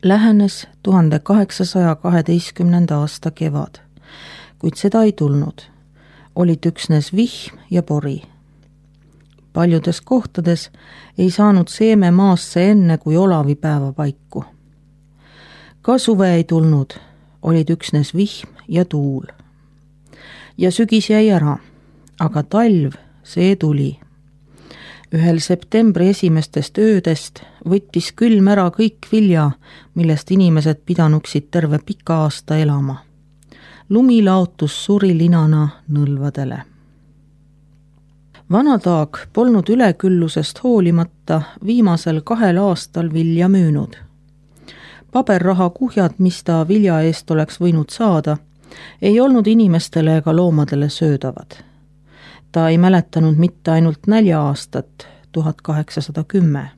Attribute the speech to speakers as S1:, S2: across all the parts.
S1: Lähenes 1812. aasta kevad, kuid seda ei tulnud. Olid üksnes vihm ja pori. Paljudes kohtades ei saanud seeme maasse enne kui olavipäeva paiku. Ka suve ei tulnud, olid üksnes vihm ja tuul. Ja sügis jäi ära, aga talv, see tuli. Ühel septembri esimestest öödest võttis külm ära kõik vilja, millest inimesed pidanuksid terve pika aasta elama. Lumi laotus surilinana nõlvadele. Vanataag polnud üleküllusest hoolimata viimasel 2 aastal vilja müünud. Paberraha kuhjad, mis ta vilja eest oleks võinud saada, ei olnud inimestele ega loomadele söödavad. Ta ei mäletanud mitte ainult nälja-aastat 1810.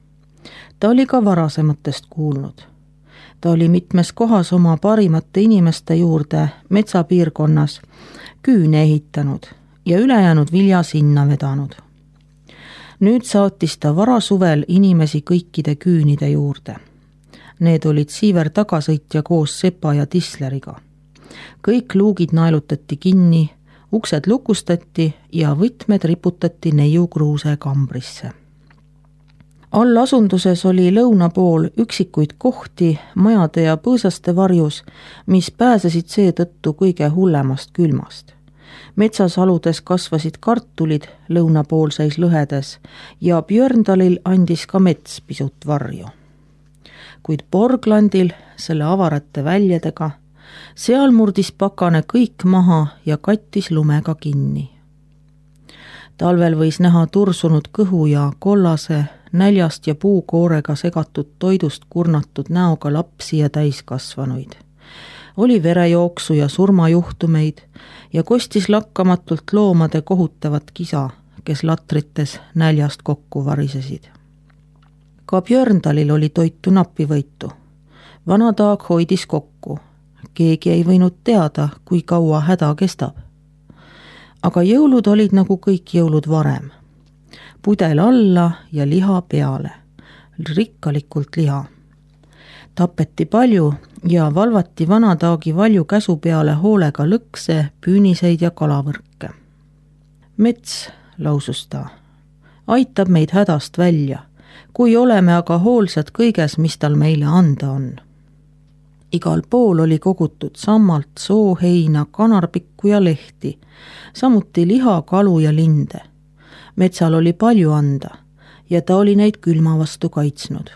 S1: Ta oli ka varasematest kuulnud. Ta oli mitmes kohas oma parimate inimeste juurde metsapiirkonnas küüne ehitanud ja ülejäänud vilja sinna vedanud. Nüüd saatis ta varasuvel inimesi kõikide küünide juurde. Need olid Siiver tagasõitja koos Sepa ja Tisleriga. Kõik luugid naelutati kinni, uksed lukustati ja võtmed riputati neiukruuse kambrisse. All asunduses oli lõuna pool üksikuid kohti majade ja põõsaste varjus, mis pääsesid seetõttu kõige hullemast külmast. Metsasaludes kasvasid kartulid lõunapoolseis lõhedes ja Björndalil andis ka mets pisut varju. Kuid Borglandil selle avarate väljadega, seal murdis pakane kõik maha ja kattis lumega kinni. Talvel võis näha tursunud kõhu ja kollase, näljast ja puukoorega segatud toidust kurnatud näoga lapsi ja täiskasvanuid. Oli verejooksu ja surmajuhtumeid ja kostis lakkamatult loomade kohutavat kisa, kes latrites näljast kokku varisesid. Ka Björndalil oli toitu napivõitu. Vanataag hoidis kokku. Keegi ei võinud teada, kui kaua häda kestab. Aga jõulud olid nagu kõik jõulud varem. Pudel alla ja liha peale. Rikkalikult liha. Tapeti palju ja valvati Vanataagi valju käsu peale hoolega lõkse, püüniseid ja kalavõrke. Mets, lausus ta, aitab meid hädast välja, kui oleme aga hoolsad kõiges, mis tal meile anda on. Igal pool oli kogutud sammalt, sooheina, kanarpikku ja lehti, samuti liha, kalu ja linde. Metsal oli palju anda ja ta oli neid külma vastu kaitsnud.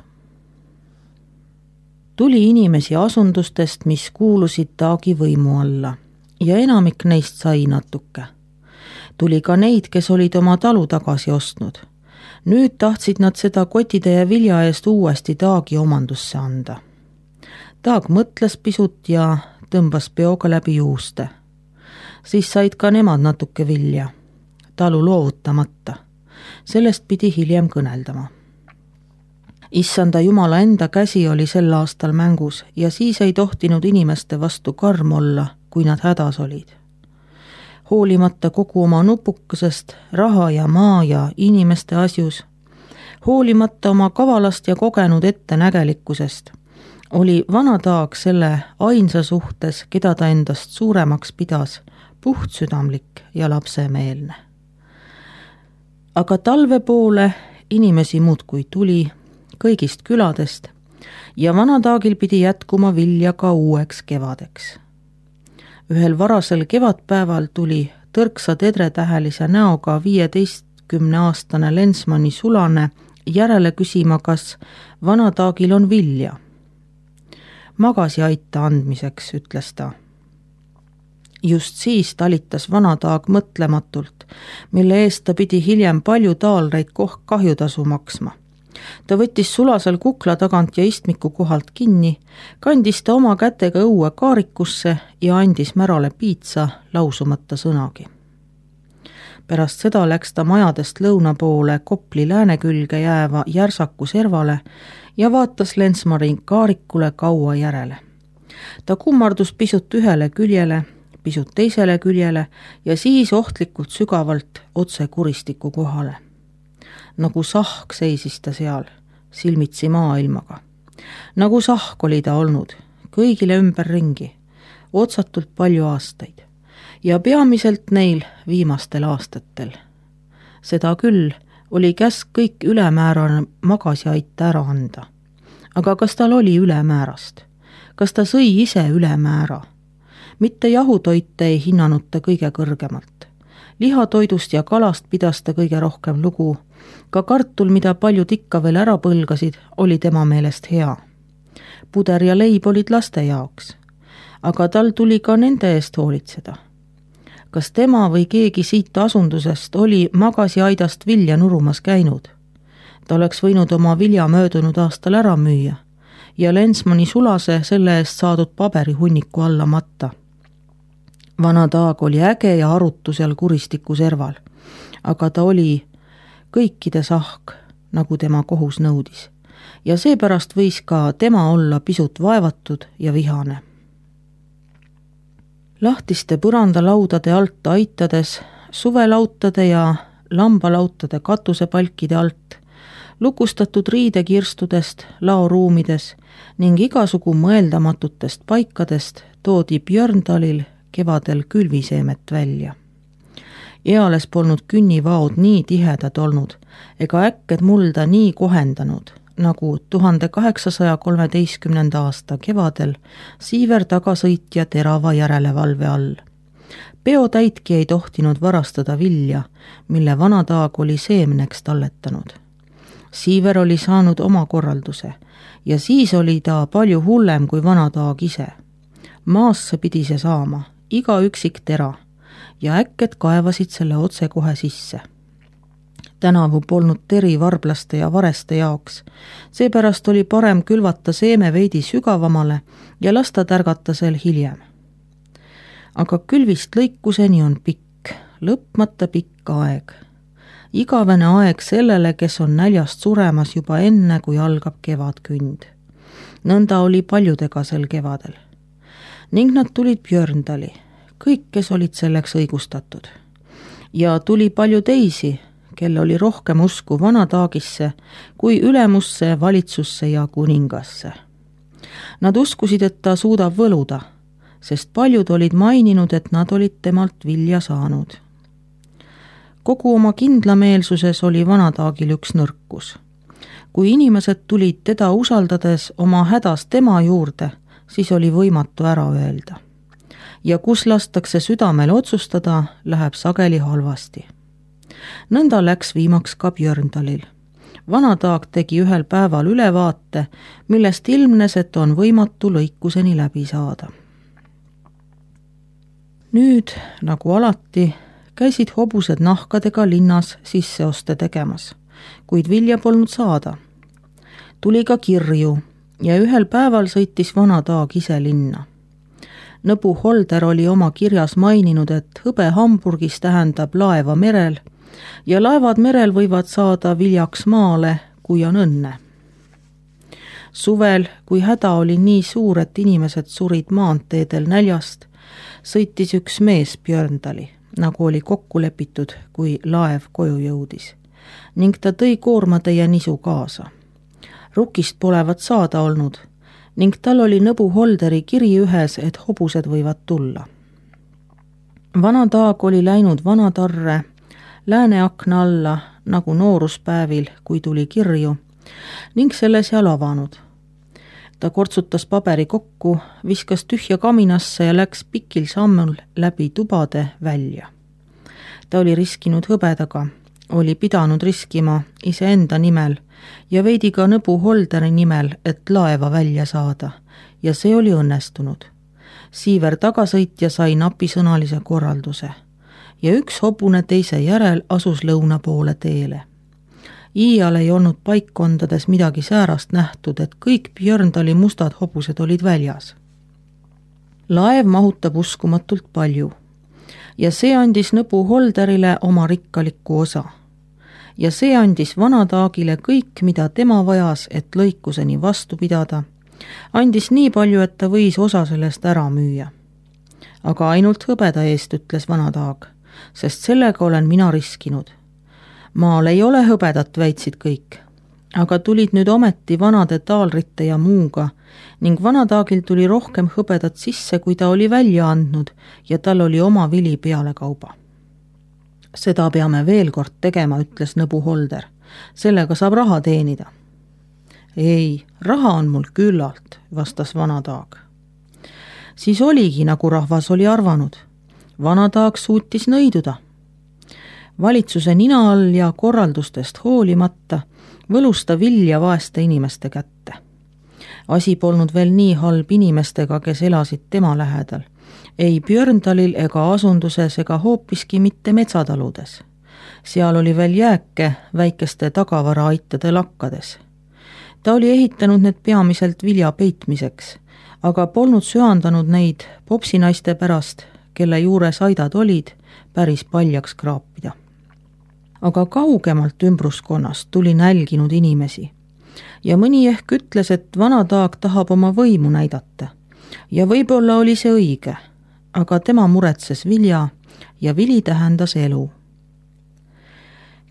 S1: Tuli inimesi asundustest, mis kuulusid Taagi võimu alla ja enamik neist sai natuke. Tuli ka neid, kes olid oma talu tagasi ostnud. Nüüd tahtsid nad seda kotide ja vilja eest uuesti Taagi omandusse anda. Taag mõtles pisut ja tõmbas peoga läbi juuste. Siis said ka nemad natuke vilja, talu loovutamata. Sellest pidi hiljem kõneldama. Issanda Jumala enda käsi oli sel aastal mängus ja siis ei tohtinud inimeste vastu karm olla, kui nad hädas olid. Hoolimata kogu oma nupukesest, raha ja maa ja inimeste asjus, hoolimata oma kavalast ja kogenud ettenägelikkusest, oli Vanataag selle ainsa suhtes, keda ta endast suuremaks pidas, puhtsüdamlik ja lapsemeelne. Aga talve poole inimesi muudkui tuli kõigist küladest ja Vanataagil pidi jätkuma vilja ka uueks kevadeks. Ühel varasel kevadpäeval tuli tõrksa tedretähelise näoga 15-aastane Lensmanni sulane järele küsima, kas Vanataagil on vilja. Magasi aita andmiseks, ütles ta. Just siis talitas Vanataag mõtlematult, mille eest ta pidi hiljem palju taalreid kahjutasu maksma. Ta võttis sulasel kukla tagant ja istmiku kohalt kinni, kandis ta oma kätega õue kaarikusse ja andis Märale piitsa lausumata sõnagi. Pärast seda läks ta majadest lõuna poole Kopli lääne külge jääva Järsaku servale ja vaatas Lensmari kaarikule kaua järele. Ta kummardus pisut ühele küljele, pisut teisele küljele ja siis ohtlikult sügavalt otse kuristiku kohale. Nagu sahk seisis ta seal, silmitsi maailmaga. Nagu sahk oli ta olnud, kõigile ümberringi, otsatult palju aastaid ja peamiselt neil viimastel aastatel. Seda küll oli käsk kõik ülemäärane magasiaita ära anda. Aga kas tal oli ülemäärast? Kas ta sõi ise ülemäära? Mitte jahutoite ei hinnanud ta kõige kõrgemalt. Lihatoidust ja kalast pidas ta kõige rohkem lugu. Ka kartul, mida paljud ikka veel ära põlgasid, oli tema meelest hea. Puder ja leib olid laste jaoks, aga tal tuli ka nende eest hoolitseda. Kas tema või keegi siit asundusest oli magasiaidast vilja nurumas käinud? Ta oleks võinud oma vilja möödunud aastal ära müüa ja Lensmani sulase selle eest saadud paberihunniku alla matta. Vana Taag oli äge ja arutu seal kuristiku serval, aga ta oli kõikide sahk, nagu tema kohus nõudis, ja seepärast võis ka tema olla pisut vaevatud ja vihane. Lahtiste põrandalaudade alt aitades, suvelautade ja lambalautade katusepalkide alt, lukustatud riidekirstudest, laoruumides ning igasugu mõeldamatutest paikadest toodi Björndalil kevadel külviseemet välja. Eales polnud künnivaod nii tihedad olnud ega äkked mulda nii kohendanud, nagu 1813. aasta kevadel Siiver tagasõitja terava järelevalve all. Peotäitki ei tohtinud varastada vilja, mille Vana Taag oli seemneks talletanud. Siiver oli saanud oma korralduse ja siis oli ta palju hullem kui Vana Taag ise. Maasse pidi see saama, iga üksik tera, ja äkked kaevasid selle otse kohe sisse. Tänavu polnud teri varblaste ja vareste jaoks, seepärast oli parem külvata seeme veidi sügavamale ja lasta tärgata sel hiljem. Aga külvist lõikuseni on pikk, lõpmata pikk aeg. Igavene aeg sellele, kes on näljast suremas juba enne, kui algab kevadkünd. Nõnda oli paljudega sel kevadel. Ning nad tulid Björndali, kõik, kes olid selleks õigustatud. Ja tuli palju teisi, kel oli rohkem usku Vana Taagisse kui ülemusse, valitsusse ja kuningasse. Nad uskusid, et ta suudab võluda, sest paljud olid maininud, et nad olid temalt vilja saanud. Kogu oma kindlameelsuses oli Vana Taagil üks nõrkus. Kui inimesed tulid teda usaldades oma hädas tema juurde, siis oli võimatu ära öelda. Ja kus lastakse südamel otsustada, läheb sageli halvasti. Nõnda läks viimaks ka Björndalil. Vana Taag tegi ühel päeval ülevaate, millest ilmnes, et on võimatu lõikuseni läbi saada. Nüüd, nagu alati, käisid hobused nahkadega linnas sisseoste tegemas, kuid vilja polnud saada. Tuli ka kirju ja ühel päeval sõitis Vana Taag ise linna. Nõbu Holder oli oma kirjas maininud, et hõbe Hamburgis tähendab laeva merel ja laevad merel võivad saada viljaks maale, kui on õnne. Suvel, kui häda oli nii suur, et inimesed surid maanteedel näljast, sõitis üks mees Björndali, nagu oli kokku lepitud, kui laev koju jõudis, ning ta tõi koormatäie nisu kaasa. Rukist polevat saada olnud ning tal oli Nõbu Holderi kiri ühes, et hobused võivad tulla. Vana Taag oli läinud Vanatarre lääneakna alla nagu nooruspäevil, kui tuli kirju, ning selle seal avanud. Ta kortsutas paberi kokku, viskas tühja kaminasse ja läks pikil sammul läbi tubade välja. Ta oli riskinud hõbedaga, oli pidanud riskima iseenda nimel ja veidi ka Nõbu Holderi nimel, et laeva välja saada, ja see oli õnnestunud. Siiver tagasõitja sai napisõnalise korralduse ja üks hobune teise järel asus lõuna poole teele. Iial ei olnud paikkondades midagi säärast nähtud, et kõik Björndali mustad hobused olid väljas. Laev mahutab uskumatult palju ja see andis Nõbu Holderile oma rikkalikku osa. Ja see andis Vana Taagile kõik, mida tema vajas, et lõikuseni vastu pidada, andis nii palju, et ta võis osa sellest ära müüa. Aga ainult hõbeda eest, ütles Vana Taag, sest sellega olen mina riskinud. Maal ei ole hõbedat, väitsid kõik. aga tulid nüüd ometi vanade taalrite ja muuga ning vanataagil tuli rohkem hõbedat sisse, kui ta oli välja andnud ja tal oli oma vili pealekauba. Seda peame veel kord tegema, ütles nõbu Holder. Sellega saab raha teenida. Ei, raha on mul küllalt, vastas vanataag. Siis oligi, nagu rahvas oli arvanud. Vanataag suutis nõiduda. Valitsuse nina all ja korraldustest hoolimata võlus ta vilja vaeste inimeste kätte. Asi polnud veel nii halb inimestega, kes elasid tema lähedal. Ei Björndalil ega asunduses ega hoopiski mitte metsataludes. Seal oli veel jääke väikeste tagavaraaitade lakkades. Ta oli ehitanud need peamiselt vilja peitmiseks, aga polnud söandanud neid popsinaiste pärast, kelle juures aidad olid, päris paljaks kraapida. Aga kaugemalt ümbruskonnast tuli nälginud inimesi ja mõni ehk ütles, et vanataag tahab oma võimu näidata ja võib-olla oli see õige, aga tema muretses vilja ja vili tähendas elu.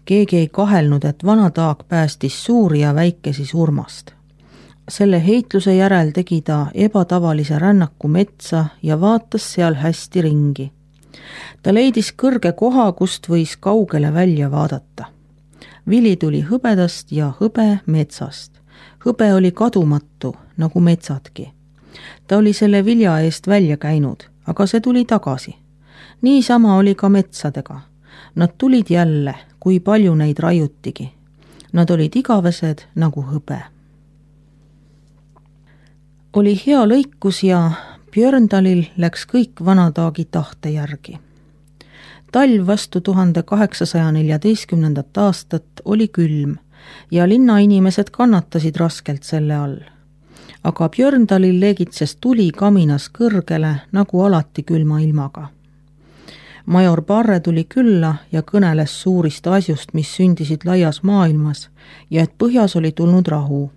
S1: Keegi ei kahelnud, et vanataag päästis suuri ja väikesi surmast. Selle heitluse järel tegi ta ebatavalise rännaku metsa ja vaatas seal hästi ringi. Ta leidis kõrge koha, kust võis kaugele välja vaadata. Vili tuli hõbedast ja hõbe metsast. Hõbe oli kadumatu, nagu metsadki. Ta oli selle vilja eest välja käinud, aga see tuli tagasi. Niisama oli ka metsadega. Nad tulid jälle, kui palju neid raiutigi. Nad olid igavesed nagu hõbe. Oli hea lõikus ja Björndalil läks kõik vanataagi tahte järgi. Talv vastu 1814. aastat oli külm ja linnainimesed kannatasid raskelt selle all. Aga Björndalil leegitses tuli kaminas kõrgele nagu alati külma ilmaga. Major Barre tuli külla ja kõneles suurist asjust, mis sündisid laias maailmas ja et põhjas oli tulnud rahu.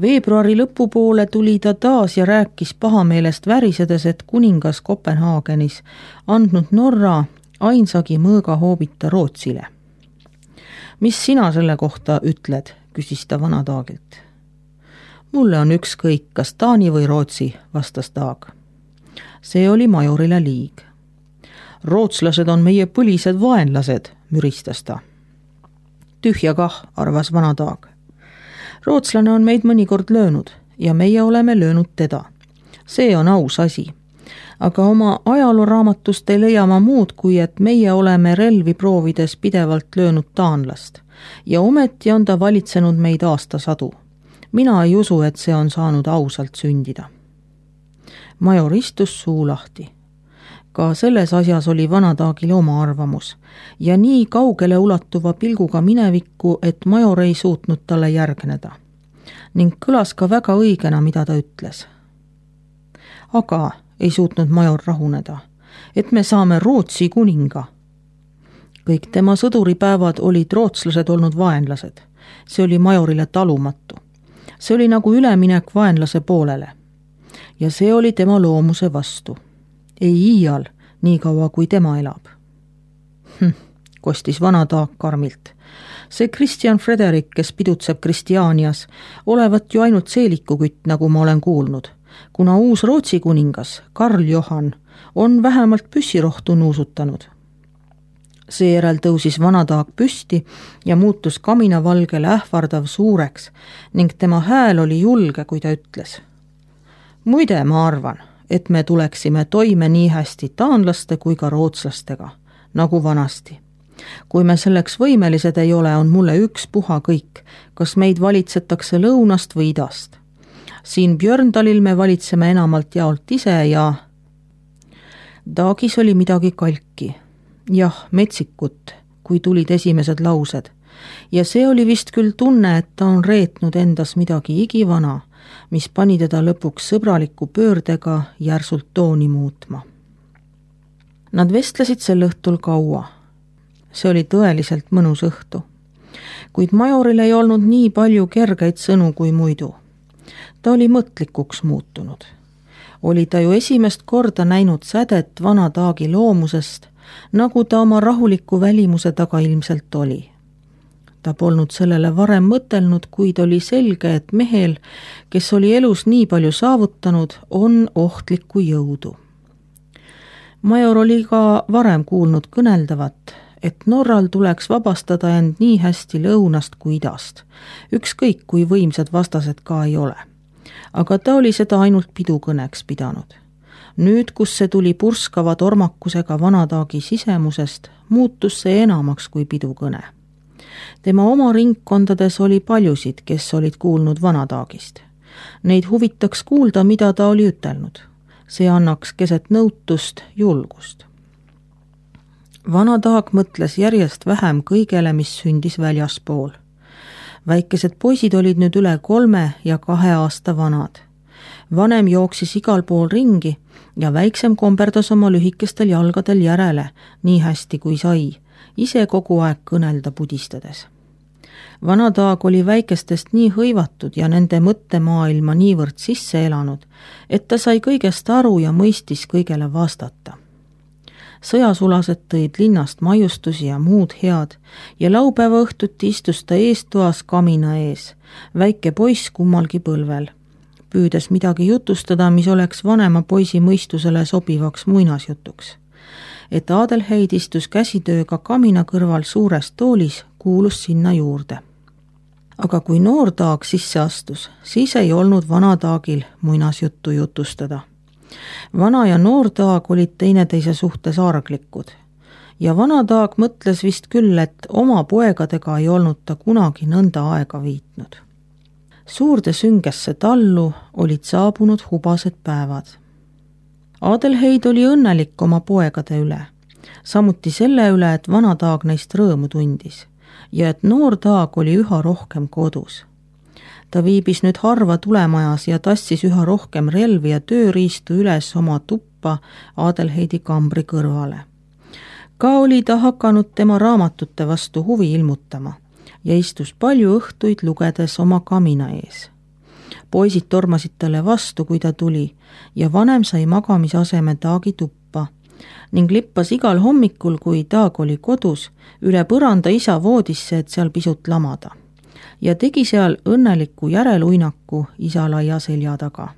S1: Veebruari lõpupoole tuli ta taas ja rääkis pahameelest värisedes, et kuningas Kopenhaagenis andnud Norra ainsagi mõõgahoobita Rootsile. Mis sina selle kohta ütled, küsis ta vanataagilt. Mulle on ükskõik, kas Taani või Rootsi, vastas taag. See oli majorile liig. Rootslased on meie põlised vaenlased, müristas ta. Tühja kah, arvas vanataag. Rootslane on meid mõnikord löönud ja meie oleme löönud teda. See on aus asi. Aga oma ajalooraamatust ei leia ma muud, kui et meie oleme relvi proovides pidevalt löönud taanlast ja ometi on ta valitsenud meid aastasadu. Mina ei usu, et see on saanud ausalt sündida. Major istus suu lahti. Ka selles asjas oli vanataagil oma arvamus ja nii kaugele ulatuva pilguga minevikku, et major ei suutnud talle järgneda. Ning kõlas ka väga õigena, mida ta ütles. Aga ei suutnud major rahuneda, et me saame Rootsi kuninga. Kõik tema sõduripäevad olid rootslased olnud vaenlased. See oli majorile talumatu. See oli nagu üleminek vaenlase poolele. Ja see oli tema loomuse vastu. Ei iial, nii kaua kui tema elab. Kostis vanataag karmilt. See Kristjan Frederik, kes pidutseb Kristianias, olevat ju ainult seelikukütt, nagu ma olen kuulnud, kuna uus Rootsi kuningas, Karl Johan, on vähemalt püssirohtu nuusutanud. Seejärel tõusis vanataag püsti ja muutus kaminavalgele ähvardav suureks ning tema hääl oli julge, kui ta ütles. Muide, ma arvan, et me tuleksime toime nii hästi taanlaste kui ka rootslastega, nagu vanasti. Kui me selleks võimelised ei ole, on mulle ükspuha kõik, kas meid valitsetakse lõunast või idast. Siin Björndalil me valitseme enamalt jaolt ise ja taagis oli midagi kalki. Jah, metsikut, kui tulid esimesed laused. Ja see oli vist küll tunne, et ta on reetnud endas midagi igivana, mis pani teda lõpuks sõbraliku pöördega järsult tooni muutma. Nad vestlesid sel õhtul kaua. See oli tõeliselt mõnus õhtu. Kuid majoril ei olnud nii palju kergeid sõnu kui muidu. Ta oli mõtlikuks muutunud. Oli ta ju esimest korda näinud sädet vanataagi loomusest, nagu ta oma rahuliku välimuse taga ilmselt oli. Ta polnud sellele varem mõtelnud, kuid oli selge, et mehel, kes oli elus nii palju saavutanud, on ohtlikku jõudu. Major oli ka varem kuulnud kõneldavat, et Norral tuleks vabastada end nii hästi lõunast kui idast, ükskõik kui võimsad vastased ka ei ole. Aga ta oli seda ainult pidukõneks pidanud. Nüüd, kus see tuli purskava tormakusega vanataagi sisemusest, muutus see enamaks kui pidukõne. Tema oma ringkondades oli paljusid, kes olid kuulnud vanataagist. Neid huvitaks kuulda, mida ta oli ütelnud. See annaks keset nõutust julgust. Vanataag mõtles järjest vähem kõigele, mis sündis väljaspool. Väikesed poisid olid nüüd üle 3 ja 2 aasta vanad. Vanem jooksis igal pool ringi ja väiksem komberdas oma lühikestel jalgadel järele, nii hästi kui sai, ise kogu aeg kõnelda pudistades. Vanataag oli väikestest nii hõivatud ja nende mõttemaailma niivõrd sisse elanud, et ta sai kõigest aru ja mõistis kõigele vastata. Sõjasulased tõid linnast maiustusi ja muud head ja laupäeva õhtuti istus ta eestoas kamina ees, väike poiss kummalgi põlvel, püüdes midagi jutustada, mis oleks vanema poisi mõistusele sobivaks muinasjutuks. Et Adelheid istus käsitööga kamina kõrval suures toolis, kuulus sinna juurde. Aga kui noor taag sisse astus, siis ei olnud vanataagil muinasjuttu jutustada. Vana ja noor taag olid teineteise suhtes arglikud ja vanataag mõtles vist küll, et oma poegadega ei olnud ta kunagi nõnda aega viitnud. Suurde süngesse tallu olid saabunud hubased päevad. Adelheid oli õnnelik oma poegade üle, samuti selle üle, et vanataag neist rõõmu tundis ja et noor taag oli üha rohkem kodus. Ta viibis nüüd harva tulemajas ja tassis üha rohkem relvi ja tööriistu üles oma tuppa Adelheidi kambri kõrvale. Ka oli ta hakanud tema raamatute vastu huvi ilmutama ja istus palju õhtuid lugedes oma kamina ees. Poisid tormasid talle vastu, kui ta tuli ja vanem sai magamisaseme taagi tuppa ning lippas igal hommikul, kui taag oli kodus, üle põranda isa voodisse, et seal pisut lamada. Ja tegi seal õnneliku järeluinaku isa laia selja taga.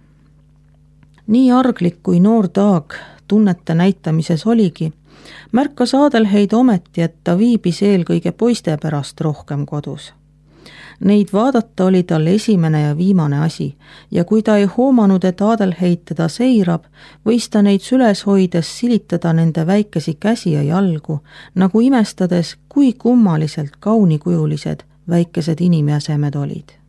S1: Nii arglik kui noor taag tunnete näitamises oligi, märkas Adelheid ometi, et ta viibis eelkõige poiste pärast rohkem kodus. Neid vaadata oli tal esimene ja viimane asi ja kui ta ei hoomanud, et Adelheid teda seirab, võis ta neid süles hoides silitada nende väikesi käsi ja jalgu, nagu imestades, kui kummaliselt kaunikujulised väikesed inimjäsemed olid.